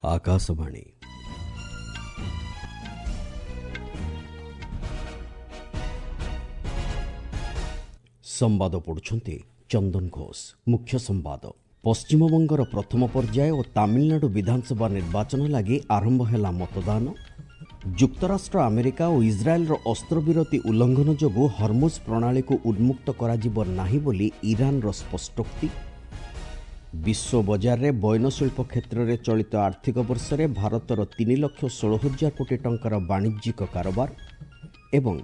ଆକାଶବାଣୀ। ସମ୍ବାଦ ପଢ଼ୁଛନ୍ତି ଚନ୍ଦନ ଘୋଷ। ମୁଖ୍ୟ ସମ୍ବାଦ। ପଶ୍ଚିମବଙ୍ଗର ପ୍ରଥମ ପର୍ଯ୍ୟାୟ ଓ ତାମିଲନାଡୁ ବିଧାନସଭା ନିର୍ବାଚନ ଲାଗି ଆରମ୍ଭ ହେଲା ମତଦାନ। ଯୁକ୍ତରାଷ୍ଟ୍ର ଆମେରିକା ଓ ଇସ୍ରାଏଲର ଅସ୍ତ୍ରବିରତି ଉଲ୍ଲଂଘନ ଯୋଗୁଁ ହର୍ମୁଜ ପ୍ରଣାଳୀକୁ ଉନ୍ମୁକ୍ତ କରାଯିବ ନାହିଁ ବୋଲି ଇରାନର ସ୍ପଷ୍ଟୋକ୍ତି। ବିଶ୍ୱ ବଜାରରେ ବୟନଶିଳ୍ପ କ୍ଷେତ୍ରରେ ଚଳିତ ଆର୍ଥିକ ବର୍ଷରେ ଭାରତର 3,16,000 କୋଟି ଟଙ୍କାର ବାଣିଜ୍ୟିକ କାରବାର। ଏବଂ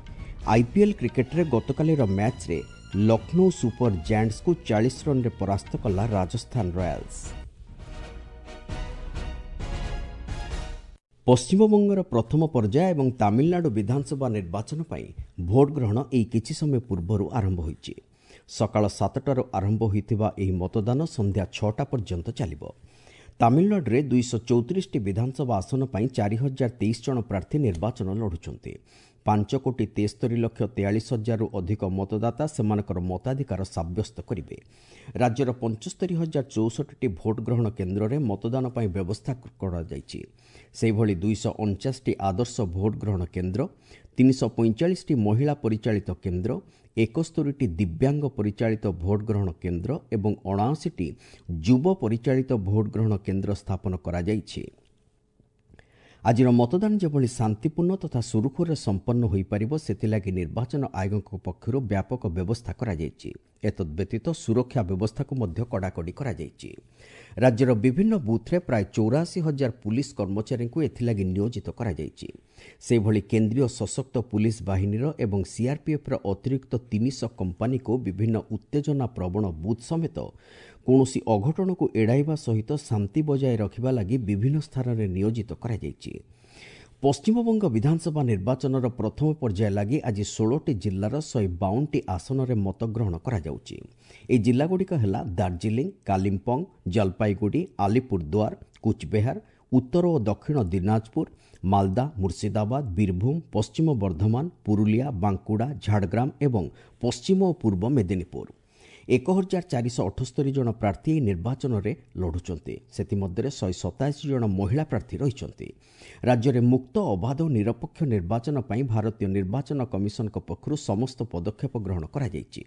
ଆଇପିଏଲ୍ କ୍ରିକେଟରେ ଗତକାଲିର ମ୍ୟାଚ୍ରେ ଲକ୍ଷ୍ନୌ ସୁପର ଜାଏଣ୍ଟସ୍କୁ 40 ରନ୍ରେ ପରାସ୍ତ କଲା ରାଜସ୍ଥାନ ରୟାଲ୍ସ। ପଶ୍ଚିମବଙ୍ଗର ପ୍ରଥମ ପର୍ଯ୍ୟାୟ ଏବଂ ତାମିଲନାଡୁ ବିଧାନସଭା ନିର୍ବାଚନ ପାଇଁ ଭୋଟ ଗ୍ରହଣ ଏଇ କିଛି ସମୟ ପୂର୍ବରୁ ଆରମ୍ଭ ହୋଇଛି। ସକାଳ 7ଟାରୁ ଆରମ୍ଭ ହୋଇଥିବା ଏହି ମତଦାନ ସନ୍ଧ୍ୟା 6ଟା ପର୍ଯ୍ୟନ୍ତ ଚାଲିବ। ତାମିଲନାଡୁରେ 234ଟି ବିଧାନସଭା ଆସନ ପାଇଁ 4023 ଜଣ ପ୍ରାର୍ଥୀ ନିର୍ବାଚନ ଲଢ଼ୁଛନ୍ତି। 5,73,43,000ରୁ ଅଧିକ ମତଦାତା ସେମାନଙ୍କର ମତାଧିକାର ସାବ୍ୟସ୍ତ କରିବେ। ରାଜ୍ୟର 75,064ଟି ଭୋଟ ଗ୍ରହଣ କେନ୍ଦ୍ରରେ ମତଦାନ ପାଇଁ ବ୍ୟବସ୍ଥା କରାଯାଇଛି। ସେହିଭଳି 249ଟି ଆଦର୍ଶ ଭୋଟ ଗ୍ରହଣ କେନ୍ଦ୍ର, 345ଟି ମହିଳା ପରିଚାଳିତ କେନ୍ଦ୍ର, 71ଟି ଦିବ୍ୟାଙ୍ଗ ପରିଚାଳିତ ଭୋଟ ଗ୍ରହଣ କେନ୍ଦ୍ର ଏବଂ 79ଟି ଯୁବ ପରିଚାଳିତ ଭୋଟ ଗ୍ରହଣ କେନ୍ଦ୍ର ସ୍ଥାପନ କରାଯାଇଛି। ଆଜିର ମତଦାନ ଯେଭଳି ଶାନ୍ତିପୂର୍ଣ୍ଣ ତଥା ସୁରୁଖୁରୁରେ ସମ୍ପନ୍ନ ହୋଇପାରିବ, ସେଥିଲାଗି ନିର୍ବାଚନ ଆୟୋଗଙ୍କ ପକ୍ଷରୁ ବ୍ୟାପକ ବ୍ୟବସ୍ଥା କରାଯାଇଛି। ଏତଦ୍ବ୍ୟତୀତ ସୁରକ୍ଷା ବ୍ୟବସ୍ଥାକୁ ମଧ୍ୟ କଡ଼ାକଡ଼ି କରାଯାଇଛି। ରାଜ୍ୟର ବିଭିନ୍ନ ବୁଥ୍ରେ ପ୍ରାୟ 84,000 ପୁଲିସ୍ କର୍ମଚାରୀଙ୍କୁ ଏଥିଲାଗି ନିୟୋଜିତ କରାଯାଇଛି। ସେହିଭଳି କେନ୍ଦ୍ରୀୟ ସଶକ୍ତ ପୁଲିସ୍ ବାହିନୀର ଏବଂ ସିଆର୍ପିଏଫ୍ର ଅତିରିକ୍ତ 300 କମ୍ପାନୀକୁ ବିଭିନ୍ନ ଉତ୍ତେଜନା ପ୍ରବଣ ବୁଥ୍ ସମେତ କୌଣସି ଅଘଟଣକୁ ଏଡ଼ାଇବା ସହିତ ଶାନ୍ତି ବଜାୟ ରଖିବା ଲାଗି ବିଭିନ୍ନ ସ୍ଥାନରେ ନିୟୋଜିତ କରାଯାଇଛି। ପଶ୍ଚିମବଙ୍ଗ ବିଧାନସଭା ନିର୍ବାଚନର ପ୍ରଥମ ପର୍ଯ୍ୟାୟ ଲାଗି ଆଜି 16ଟି ଜିଲ୍ଲାର 152ଟି ଆସନରେ ମତଗ୍ରହଣ କରାଯାଉଛି। ଏହି ଜିଲ୍ଲାଗୁଡ଼ିକ ହେଲା ଦାର୍ଜିଲିଂ, କାଲିମ୍ପଙ୍ଗ, ଜଲପାଇଗୁଡ଼ି, ଆଲିପୁରଦୁଆର, କୁଚବେହାର, ଉତ୍ତର ଓ ଦକ୍ଷିଣ ଦିନାଜପୁର, ମାଲଦା, ମୁର୍ଶିଦାବାଦ, ବୀରଭୂମ, ପଶ୍ଚିମ ବର୍ଦ୍ଧମାନ, ପୁରୁଲିଆ, ବାଙ୍କୁଡ଼ା, ଝାଡ଼ଗ୍ରାମ ଏବଂ ପଶ୍ଚିମ ଓ ପୂର୍ବ ମେଦିନୀପୁର। 1478 ଜଣ ପ୍ରାର୍ଥୀ ଏହି ନିର୍ବାଚନରେ ଲଢ଼ୁଛନ୍ତି। ସେଥିମଧ୍ୟରେ 187 ଜଣ ମହିଳା ପ୍ରାର୍ଥୀ ରହିଛନ୍ତି। ରାଜ୍ୟରେ ମୁକ୍ତ, ଅବାଧ ଓ ନିରପେକ୍ଷ ନିର୍ବାଚନ ପାଇଁ ଭାରତୀୟ ନିର୍ବାଚନ କମିଶନଙ୍କ ପକ୍ଷରୁ ସମସ୍ତ ପଦକ୍ଷେପ ଗ୍ରହଣ କରାଯାଇଛି।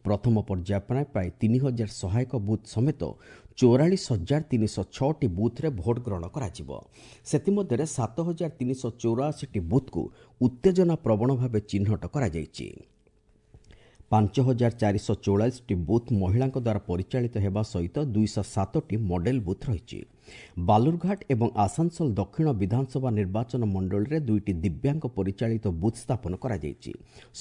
ପ୍ରଥମ ପର୍ଯ୍ୟାୟ ପାଇଁ ପ୍ରାୟ 3000 ସହାୟକ ବୁଥ୍ ସମେତ 44,306ଟି ବୁଥ୍ରେ ଭୋଟ ଗ୍ରହଣ କରାଯିବ। ସେଥିମଧ୍ୟରେ 7384ଟି ବୁଥ୍କୁ ଉତ୍ତେଜନା ପ୍ରବଣ ଭାବେ ଚିହ୍ନଟ କରାଯାଇଛି। 5444ଟି ବୁଥ୍ ମହିଳାଙ୍କ ଦ୍ୱାରା ପରିଚାଳିତ ହେବା ସହିତ 207ଟି ମଡେଲ ବୁଥ୍ ରହିଛି। ବାଲୁରଘାଟ ଏବଂ ଆସାନସୋଲ ଦକ୍ଷିଣ ବିଧାନସଭା ନିର୍ବାଚନ ମଣ୍ଡଳୀରେ 2ଟି ଦିବ୍ୟାଙ୍ଗ ପରିଚାଳିତ ବୁଥ୍ ସ୍ଥାପନ କରାଯାଇଛି।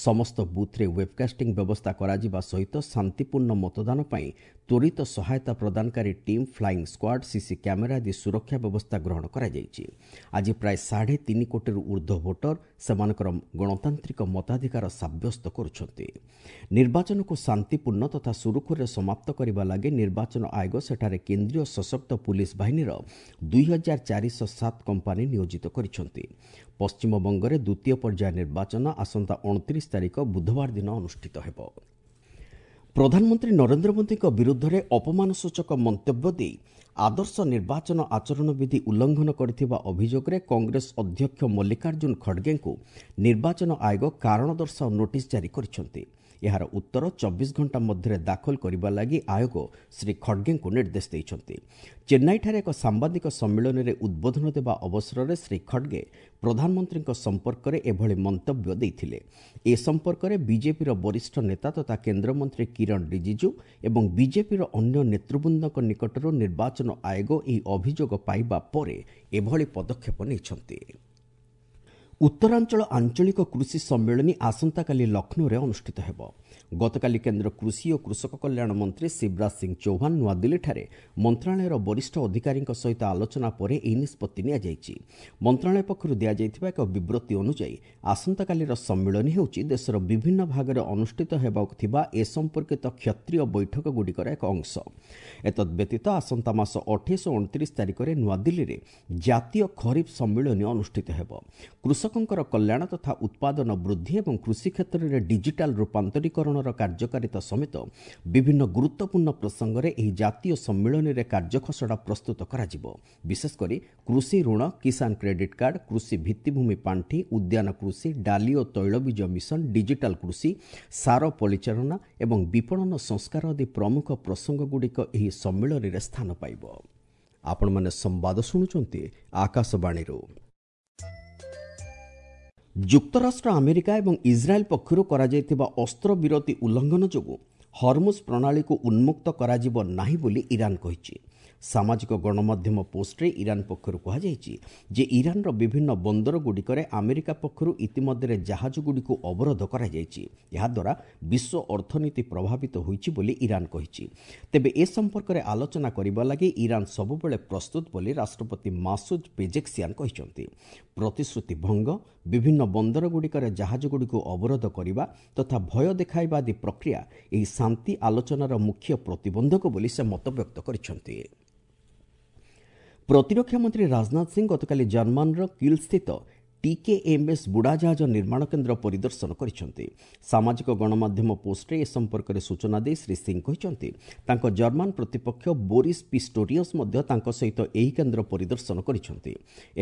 ସମସ୍ତ ବୁଥ୍ରେ ୱେବକାଷ୍ଟିଂ ବ୍ୟବସ୍ଥା କରାଯିବା ସହିତ ଶାନ୍ତିପୂର୍ଣ୍ଣ ମତଦାନ ପାଇଁ ତ୍ୱରିତ ସହାୟତା ପ୍ରଦାନକାରୀ team, flying squad, CC camera ଆଦି ସୁରକ୍ଷା ବ୍ୟବସ୍ଥା ଗ୍ରହଣ କରାଯାଇଛି। ଆଜି ପ୍ରାୟ 3.5 କୋଟିରୁ ଉର୍ଦ୍ଧ୍ୱ ଭୋଟର ସେମାନଙ୍କର ଗଣତାନ୍ତ୍ରିକ ମତାଧିକାର ସାବ୍ୟସ୍ତ କରୁଛନ୍ତି। ନିର୍ବାଚନକୁ ଶାନ୍ତିପୂର୍ଣ୍ଣ ତଥା ସୁରୁଖୁରୁରେ ସମାପ୍ତ କରିବା ଲାଗି ନିର୍ବାଚନ ଆୟୋଗ ସେଠାରେ କେନ୍ଦ୍ରୀୟ ସଶକ୍ତ ପୁଲିସ୍ ବାହିନୀର 2407 କମ୍ପାନୀ ନିୟୋଜିତ କରିଛନ୍ତି। ପଶ୍ଚିମବଙ୍ଗରେ ଦ୍ୱିତୀୟ ପର୍ଯ୍ୟାୟ ନିର୍ବାଚନ ଆସନ୍ତା 29 ତାରିଖ ବୁଧବାର ଦିନ ଅନୁଷ୍ଠିତ ହେବ। ପ୍ରଧାନମନ୍ତ୍ରୀ ନରେନ୍ଦ୍ର ମୋଦିଙ୍କ ବିରୁଦ୍ଧରେ ଅପମାନସୂଚକ ମନ୍ତବ୍ୟ ଦେଇ ଆଦର୍ଶ ନିର୍ବାଚନ ଆଚରଣ ବିଧି ଉଲ୍ଲଂଘନ କରିଥିବା ଅଭିଯୋଗରେ କଂଗ୍ରେସ ଅଧ୍ୟକ୍ଷ ମଲ୍ଲିକାର୍ଜୁନ ଖଡ଼ଗେଙ୍କୁ ନିର୍ବାଚନ ଆୟୋଗ କାରଣ ଦର୍ଶାଅ ନୋଟିସ୍ ଜାରି କରିଛନ୍ତି। ଏହାର ଉତ୍ତର 24 ଘଣ୍ଟା ମଧ୍ୟରେ ଦାଖଲ କରିବା ଲାଗି ଆୟୋଗ ଶ୍ରୀ ଖଡ଼ଗେଙ୍କୁ ନିର୍ଦ୍ଦେଶ ଦେଇଛନ୍ତି। ଚେନ୍ନାଇଠାରେ ଏକ ସାମ୍ବାଦିକ ସମ୍ମିଳନୀରେ ଉଦ୍ବୋଧନ ଦେବା ଅବସରରେ ଶ୍ରୀ ଖଡ଼ଗେ ପ୍ରଧାନମନ୍ତ୍ରୀଙ୍କ ସମ୍ପର୍କରେ ଏଭଳି ମନ୍ତବ୍ୟ ଦେଇଥିଲେ। ଏ ସମ୍ପର୍କରେ ବିଜେପିର ବରିଷ୍ଠ ନେତା ତଥା କେନ୍ଦ୍ରମନ୍ତ୍ରୀ କିରଣ ରିଜିଜୁ ଏବଂ ବିଜେପିର ଅନ୍ୟ ନେତୃବୃନ୍ଦଙ୍କ ନିକଟରୁ ନିର୍ବାଚନ ଆୟୋଗ ଏହି ଅଭିଯୋଗ ପାଇବା ପରେ ଏଭଳି ପଦକ୍ଷେପ ନେଇଛନ୍ତି। ଉତ୍ତରାଞ୍ଚଳ ଆଞ୍ଚଳିକ କୃଷି ସମ୍ମିଳନୀ ଆସନ୍ତାକାଲି ଲକ୍ଷ୍ନୌରେ ଅନୁଷ୍ଠିତ ହେବ। ଗତକାଲି କେନ୍ଦ୍ର କୃଷି ଓ କୃଷକ କଲ୍ୟାଣ ମନ୍ତ୍ରୀ ଶିବରାଜ ସିଂ ଚୌହାନ ନୂଆଦିଲ୍ଲୀଠାରେ ମନ୍ତ୍ରଣାଳୟର ବରିଷ୍ଠ ଅଧିକାରୀଙ୍କ ସହିତ ଆଲୋଚନା ପରେ ଏହି ନିଷ୍ପତ୍ତି ନିଆଯାଇଛି। ମନ୍ତ୍ରଣାଳୟ ପକ୍ଷରୁ ଦିଆଯାଇଥିବା ଏକ ବିବୃତ୍ତି ଅନୁଯାୟୀ ଆସନ୍ତାକାଲିର ସମ୍ମିଳନୀ ହେଉଛି ଦେଶର ବିଭିନ୍ନ ଭାଗରେ ଅନୁଷ୍ଠିତ ହେବାକୁ ଥିବା ଏ ସମ୍ପର୍କିତ କ୍ଷେତ୍ରୀୟ ବୈଠକଗୁଡ଼ିକର ଏକ ଅଂଶ। ଏତଦ୍ବ୍ୟତୀତ ଆସନ୍ତା ମାସ 28 ଓ 29 ତାରିଖରେ ନୂଆଦିଲ୍ଲୀରେ ଜାତୀୟ ଖରିଫ ସମ୍ମିଳନୀ ଅନୁଷ୍ଠିତ ହେବ। କୃଷକଙ୍କର କଲ୍ୟାଣ ତଥା ଉତ୍ପାଦନ ବୃଦ୍ଧି ଏବଂ କୃଷି କ୍ଷେତ୍ରରେ ଡିଜିଟାଲ ରୂପାନ୍ତରୀକରଣର ସଂରକ୍ଷଣର କାର୍ଯ୍ୟକାରିତା ସମେତ ବିଭିନ୍ନ ଗୁରୁତ୍ୱପୂର୍ଣ୍ଣ ପ୍ରସଙ୍ଗରେ ଏହି ଜାତୀୟ ସମ୍ମିଳନୀରେ କାର୍ଯ୍ୟଖସଡ଼ା ପ୍ରସ୍ତୁତ କରାଯିବ। ବିଶେଷକରି କୃଷି ଋଣ, କିଷାନ କ୍ରେଡିଟ୍ କାର୍ଡ, କୃଷି ଭିତ୍ତିଭୂମି ପାଣ୍ଠି, ଉଦ୍ୟାନ କୃଷି, ଡାଲି ଓ ତୈଳବୀଜ ମିଶନ, ଡିଜିଟାଲ କୃଷି, ସାର ପରିଚାଳନା ଏବଂ ବିପଣନ ସଂସ୍କାର ଆଦି ପ୍ରମୁଖ ପ୍ରସଙ୍ଗଗୁଡ଼ିକ ଏହି ସମ୍ମିଳନୀରେ ସ୍ଥାନ ପାଇବ। ଆପଣମାନେ ସମ୍ବାଦ ଶୁଣୁଛନ୍ତି ଆକାଶବାଣୀରୁ। ଯୁକ୍ତରାଷ୍ଟ୍ର ଆମେରିକା ଏବଂ ଇସ୍ରାଏଲ୍ ପକ୍ଷରୁ କରାଯାଇଥିବା ଅସ୍ତ୍ରବିରତି ଉଲ୍ଲଂଘନ ଯୋଗୁଁ ହରମୁଜ ପ୍ରଣାଳୀକୁ ଉନ୍ମୁକ୍ତ କରାଯିବ ନାହିଁ ବୋଲି ଇରାନ କହିଛି। ସାମାଜିକ ଗଣମାଧ୍ୟମ ପୋଷ୍ଟରେ ଇରାନ ପକ୍ଷରୁ କୁହାଯାଇଛି ଯେ ଇରାନର ବିଭିନ୍ନ ବନ୍ଦରଗୁଡ଼ିକରେ ଆମେରିକା ପକ୍ଷରୁ ଇତିମଧ୍ୟରେ ଜାହାଜଗୁଡ଼ିକୁ ଅବରୋଧ କରାଯାଇଛି। ଏହାଦ୍ୱାରା ବିଶ୍ୱ ଅର୍ଥନୀତି ପ୍ରଭାବିତ ହୋଇଛି ବୋଲି ଇରାନ କହିଛି। ତେବେ ଏ ସମ୍ପର୍କରେ ଆଲୋଚନା କରିବା ଲାଗି ଇରାନ ସବୁବେଳେ ପ୍ରସ୍ତୁତ ବୋଲି ରାଷ୍ଟ୍ରପତି ମାସୁଦ ପେଜେକ୍ସିଆନ କହିଛନ୍ତି। ପ୍ରତିଶ୍ରୁତି ଭଙ୍ଗ, ବିଭିନ୍ନ ବନ୍ଦରଗୁଡ଼ିକରେ ଜାହାଜଗୁଡ଼ିକୁ ଅବରୋଧ କରିବା ତଥା ଭୟ ଦେଖାଇବା ଆଦି ପ୍ରକ୍ରିୟା ଏହି ଶାନ୍ତି ଆଲୋଚନାର ମୁଖ୍ୟ ପ୍ରତିବନ୍ଧକ ବୋଲି ସେ ମତବ୍ୟକ୍ତ କରିଛନ୍ତି। ପ୍ରତିରକ୍ଷା ମନ୍ତ୍ରୀ ରାଜନାଥ ସିଂ ଗତକାଲି ଜର୍ମାନର କିଲ୍ସ୍ଥିତ ଟିକେଏମ୍ଏସ୍ ବୁଡ଼ାଜାହାଜ ନିର୍ମାଣ କେନ୍ଦ୍ର ପରିଦର୍ଶନ କରିଛନ୍ତି। ସାମାଜିକ ଗଣମାଧ୍ୟମ ପୋଷ୍ଟରେ ଏ ସମ୍ପର୍କରେ ସୂଚନା ଦେଇ ଶ୍ରୀ ସିଂ କହିଛନ୍ତି, ତାଙ୍କ ଜର୍ମାନ ପ୍ରତିପକ୍ଷ ବୋରିସ୍ ପିଷ୍ଟୋରିୟସ୍ ମଧ୍ୟ ତାଙ୍କ ସହିତ ଏହି କେନ୍ଦ୍ର ପରିଦର୍ଶନ କରିଛନ୍ତି।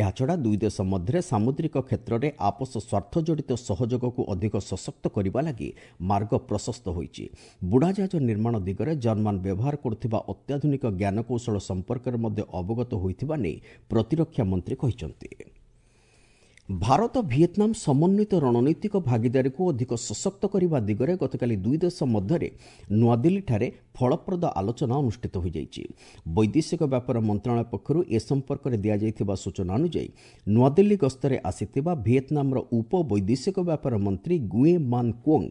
ଏହାଛଡ଼ା ଦୁଇ ଦେଶ ମଧ୍ୟରେ ସାମୁଦ୍ରିକ କ୍ଷେତ୍ରରେ ଆପୋଷ ସ୍ୱାର୍ଥ ଜଡ଼ିତ ସହଯୋଗକୁ ଅଧିକ ସଶକ୍ତ କରିବା ଲାଗି ମାର୍ଗ ପ୍ରଶସ୍ତ ହୋଇଛି। ବୁଡ଼ାଜାହାଜ ନିର୍ମାଣ ଦିଗରେ ଜର୍ମାନ ବ୍ୟବହାର କରୁଥିବା ଅତ୍ୟାଧୁନିକ ଜ୍ଞାନକୌଶଳ ସମ୍ପର୍କରେ ମଧ୍ୟ ଅବଗତ ହୋଇଥିବା ନେଇ ପ୍ରତିରକ୍ଷା ମନ୍ତ୍ରୀ କହିଛନ୍ତି। ଭାରତ ଭିଏତନାମ ସମନ୍ୱିତ ରଣନୈତିକ ଭାଗିଦାରୀକୁ ଅଧିକ ସଶକ୍ତ କରିବା ଦିଗରେ ଗତକାଲି ଦୁଇ ଦେଶ ମଧ୍ୟରେ ନୂଆଦିଲ୍ଲୀଠାରେ ଫଳପ୍ରଦ ଆଲୋଚନା ଅନୁଷ୍ଠିତ ହୋଇଯାଇଛି। ବୈଦେଶିକ ବ୍ୟାପାର ମନ୍ତ୍ରଣାଳୟ ପକ୍ଷରୁ ଏ ସମ୍ପର୍କରେ ଦିଆଯାଇଥିବା ସୂଚନା ଅନୁଯାୟୀ ନୂଆଦିଲ୍ଲୀ ଗସ୍ତରେ ଆସିଥିବା ଭିଏତନାମର ଉପ ବୈଦେଶିକ ବ୍ୟାପାର ମନ୍ତ୍ରୀ ଗୁଏ ମାନ କ୍ୱୋଙ୍ଗ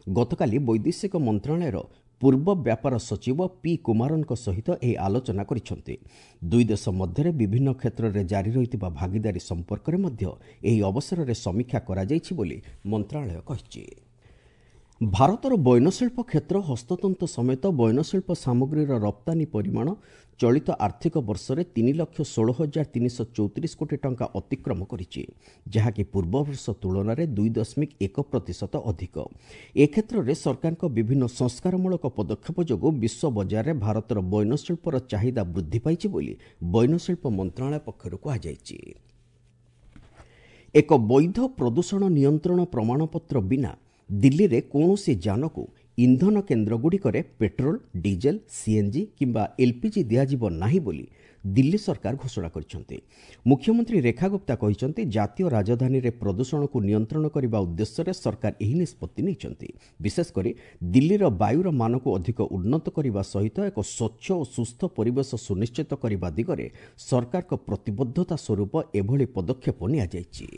ଗତକାଲି ବୈଦେଶିକ ମନ୍ତ୍ରଣାଳୟର ପୂର୍ବ ବ୍ୟାପାର ସଚିବ ପି କୁମାରଙ୍କ ସହିତ ଏହି ଆଲୋଚନା କରିଛନ୍ତି। ଦୁଇ ଦେଶ ମଧ୍ୟରେ ବିଭିନ୍ନ କ୍ଷେତ୍ରରେ ଜାରି ରହିଥିବା ଭାଗିଦାରୀ ସମ୍ପର୍କରେ ମଧ୍ୟ ଏହି ଅବସରରେ ସମୀକ୍ଷା କରାଯାଇଛି ବୋଲି ମନ୍ତ୍ରଣାଳୟ କହିଛି। ଭାରତର ବୟନଶିଳ୍ପ କ୍ଷେତ୍ର ହସ୍ତତନ୍ତ ସମେତ ବୟନଶିଳ୍ପ ସାମଗ୍ରୀର ରପ୍ତାନୀ ପରିମାଣ ଚଳିତ ଆର୍ଥିକ ବର୍ଷରେ 3,16,334 କୋଟି ଟଙ୍କା ଅତିକ୍ରମ କରିଛି, ଯାହାକି ପୂର୍ବ ବର୍ଷ ତୁଳନାରେ 2.1% ଅଧିକ। ଏ କ୍ଷେତ୍ରରେ ସରକାରଙ୍କ ବିଭିନ୍ନ ସଂସ୍କାରମୂଳକ ପଦକ୍ଷେପ ଯୋଗୁଁ ବିଶ୍ୱ ବଜାରରେ ଭାରତର ବୟନଶିଳ୍ପର ଚାହିଦା ବୃଦ୍ଧି ପାଇଛି ବୋଲି ବୟନଶିଳ୍ପ ମନ୍ତ୍ରଣାଳୟ ପକ୍ଷରୁ କୁହାଯାଇଛି। ଏକ ବୈଧ ପ୍ରଦୂଷଣ ନିୟନ୍ତ୍ରଣ ପ୍ରମାଣପତ୍ର ବିନା ଦିଲ୍ଲୀରେ କୌଣସି ଯାନକୁ ଇନ୍ଧନ କେନ୍ଦ୍ରଗୁଡ଼ିକରେ ପେଟ୍ରୋଲ, ଡିଜେଲ, ସିଏନ୍ଜି କିମ୍ବା ଏଲ୍ପିଜି ଦିଆଯିବ ନାହିଁ ବୋଲି ଦିଲ୍ଲୀ ସରକାର ଘୋଷଣା କରିଛନ୍ତି। ମୁଖ୍ୟମନ୍ତ୍ରୀ ରେଖା ଗୁପ୍ତା କହିଛନ୍ତି, ଜାତୀୟ ରାଜଧାନୀରେ ପ୍ରଦୂଷଣକୁ ନିୟନ୍ତ୍ରଣ କରିବା ଉଦ୍ଦେଶ୍ୟରେ ସରକାର ଏହି ନିଷ୍ପତ୍ତି ନେଇଛନ୍ତି। ବିଶେଷକରି ଦିଲ୍ଲୀର ବାୟୁର ମାନକୁ ଅଧିକ ଉନ୍ନତ କରିବା ସହିତ ଏକ ସ୍ୱଚ୍ଛ ଓ ସୁସ୍ଥ ପରିବେଶ ସୁନିଶ୍ଚିତ କରିବା ଦିଗରେ ସରକାରଙ୍କ ପ୍ରତିବଦ୍ଧତା ସ୍ୱରୂପ ଏଭଳି ପଦକ୍ଷେପ ନିଆଯାଇଛି।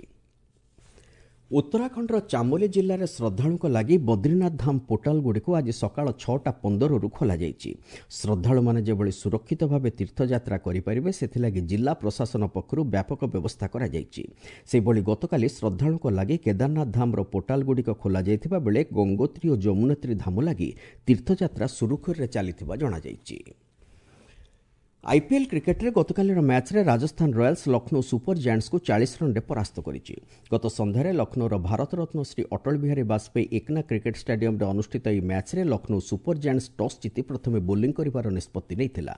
ଉତ୍ତରାଖଣ୍ଡର ଚାମୋଲି ଜିଲ୍ଲାରେ ଶ୍ରଦ୍ଧାଳୁଙ୍କ ଲାଗି ବଦ୍ରିନାଥ ଧାମ ପୋର୍ଟାଲଗୁଡ଼ିକୁ ଆଜି ସକାଳ 6:15ରୁ ଖୋଲାଯାଇଛି। ଶ୍ରଦ୍ଧାଳୁମାନେ ଯେଭଳି ସୁରକ୍ଷିତ ଭାବେ ତୀର୍ଥଯାତ୍ରା କରିପାରିବେ ସେଥିଲାଗି ଜିଲ୍ଲା ପ୍ରଶାସନ ପକ୍ଷରୁ ବ୍ୟାପକ ବ୍ୟବସ୍ଥା କରାଯାଇଛି। ସେହିଭଳି ଗତକାଲି ଶ୍ରଦ୍ଧାଳୁଙ୍କ ଲାଗି କେଦାରନାଥ ଧାମର ପୋର୍ଟାଲଗୁଡ଼ିକ ଖୋଲାଯାଇଥିବା ବେଳେ ଗଙ୍ଗୋତ୍ରୀ ଓ ଯମୁନୋତ୍ରୀ ଧାମ ଲାଗି ତୀର୍ଥଯାତ୍ରା ସୁରୁଖୁରୁରେ ଚାଲିଥିବା ଜଣାଯାଇଛି। ଆଇପିଏଲ୍ କ୍ରିକେଟ୍ରେ ଗତକାଲିର ମ୍ୟାଚ୍ରେ ରାଜସ୍ଥାନ ରୟାଲ୍ସ ଲକ୍ଷ୍ନୌ ସୁପର ଜାଏଣ୍ଟସ୍କୁ 40 ରନ୍ରେ ପରାସ୍ତ କରିଛି। ଗତ ସନ୍ଧ୍ୟାରେ ଲକ୍ଷ୍ନୌର ଭାରତରତ୍ନ ଶ୍ରୀ ଅଟଳ ବିହାରୀ ବାଜପେୟୀ ଏକନା କ୍ରିକେଟ୍ ଷ୍ଟାଡିୟମ୍ରେ ଅନୁଷ୍ଠିତ ଏହି ମ୍ୟାଚ୍ରେ ଲକ୍ଷ୍ନୌ ସୁପର ଜାଏଣ୍ଟସ୍ ଟସ୍ ଜିତି ପ୍ରଥମେ ବୋଲିଂ କରିବାର ନିଷ୍ପତ୍ତି ନେଇଥିଲା।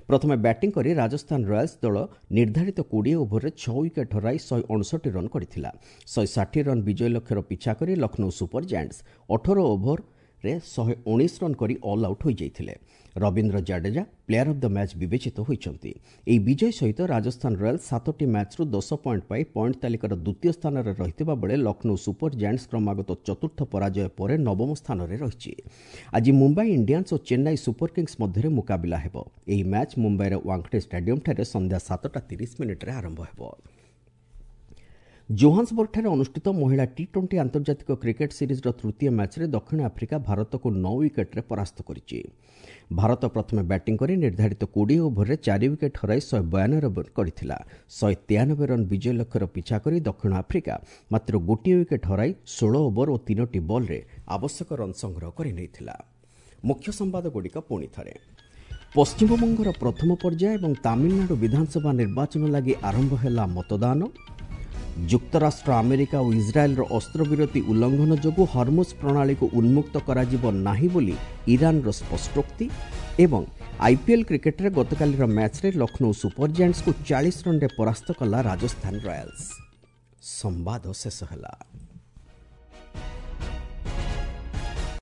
ପ୍ରଥମେ ବ୍ୟାଟିଂ କରି ରାଜସ୍ଥାନ ରୟାଲ୍ସ ଦଳ ନିର୍ଦ୍ଧାରିତ 20 ଓଭରରେ 6 ୱିକେଟ୍ ହରାଇ 159 ରନ୍ କରିଥିଲା। 160 ରନ୍ ବିଜୟ ଲକ୍ଷ୍ୟର ପିଛା କରି ଲକ୍ଷ୍ନୌ ସୁପର ଜାଏଣ୍ଟସ୍ 18 ଓଭରରେ 119 ରନ୍ କରି ଅଲ୍ ଆଉଟ୍ ହୋଇଯାଇଥିଲେ। Ravindra Jadeja player of the match ବିବେଚିତ ହୋଇଛନ୍ତି। ଏହି ବିଜୟ ସହିତ ରାଜସ୍ଥାନ ରୟାଲ୍ସ 7ଟି ମ୍ୟାଚ୍ରୁ 10 ପଏଣ୍ଟ ପାଇ ପଏଣ୍ଟ ତାଲିକାର ଦ୍ୱିତୀୟ ସ୍ଥାନରେ ରହିଥିବା ବେଳେ ଲକ୍ଷ୍ନୌ ସୁପର ଜାଏଣ୍ଟସ୍ କ୍ରମାଗତ ଚତୁର୍ଥ ପରାଜୟ ପରେ ନବମ ସ୍ଥାନରେ ରହିଛି। ଆଜି ମୁମ୍ବାଇ ଇଣ୍ଡିଆନ୍ସ ଓ ଚେନ୍ନାଇ ସୁପର କିଙ୍ଗସ୍ ମଧ୍ୟରେ ମୁକାବିଲା ହେବ। ଏହି ମ୍ୟାଚ୍ ମୁମ୍ବାଇର ୱାଙ୍ଗଡେ ଷ୍ଟାଡିୟମ୍ଠାରେ ସନ୍ଧ୍ୟା 7:30 ଆରମ୍ଭ ହେବ। ଜୋହାନ୍ସବର୍ଗଠାରେ ଅନୁଷ୍ଠିତ ମହିଳା ଟି-20 ଆନ୍ତର୍ଜାତିକ କ୍ରିକେଟ୍ ସିରିଜ୍ର ତୃତୀୟ ମ୍ୟାଚ୍ରେ ଦକ୍ଷିଣ ଆଫ୍ରିକା ଭାରତକୁ 9 ୱିକେଟ୍ରେ ପରାସ୍ତ କରିଛି। ଭାରତ ପ୍ରଥମେ ବ୍ୟାଟିଂ କରି ନିର୍ଦ୍ଧାରିତ 20 ଓଭରରେ 4 ୱିକେଟ୍ ହରାଇ 192 ରନ୍ କରିଥିଲା। 193 ରନ୍ ବିଜୟ ଲକ୍ଷ୍ୟର ପିଛା କରି ଦକ୍ଷିଣ ଆଫ୍ରିକା ମାତ୍ର 1 ୱିକେଟ୍ ହରାଇ 16 ଓଭର ଓ 3ଟି ବଲ୍ରେ ଆବଶ୍ୟକ ରନ୍ ସଂଗ୍ରହ କରିନେଇଥିଲା। ମୁଖ୍ୟ ସମ୍ବାଦଗୁଡ଼ିକ ପୁଣି ଥରେ। ପଶ୍ଚିମବଙ୍ଗର ପ୍ରଥମ ପର୍ଯ୍ୟାୟ ଏବଂ ତାମିଲନାଡୁ ବିଧାନସଭା ନିର୍ବାଚନ ଲାଗି ଆରମ୍ଭ ହେଲା ମତଦାନ। ଯୁକ୍ତରାଷ୍ଟ୍ର ଆମେରିକା ଓ ଇସ୍ରାଏଲ୍ର ଅସ୍ତ୍ରବିରତି ଉଲ୍ଲଂଘନ ଯୋଗୁଁ ହର୍ମୁଜ୍ ପ୍ରଣାଳୀକୁ ଉନ୍ମୁକ୍ତ କରାଯିବ ନାହିଁ ବୋଲି ଇରାନର ସ୍ପଷ୍ଟୋକ୍ତି। ଏବଂ ଆଇପିଏଲ୍ କ୍ରିକେଟରେ ଗତକାଲିର ମ୍ୟାଚ୍ରେ ଲକ୍ଷ୍ନୌ ସୁପର ଜାଏଣ୍ଟସ୍କୁ 40 ରନ୍ରେ ପରାସ୍ତ କଲା ରାଜସ୍ଥାନ ରୟାଲ୍ସ। ସମ୍ବାଦ ଶେଷ ହେଲା।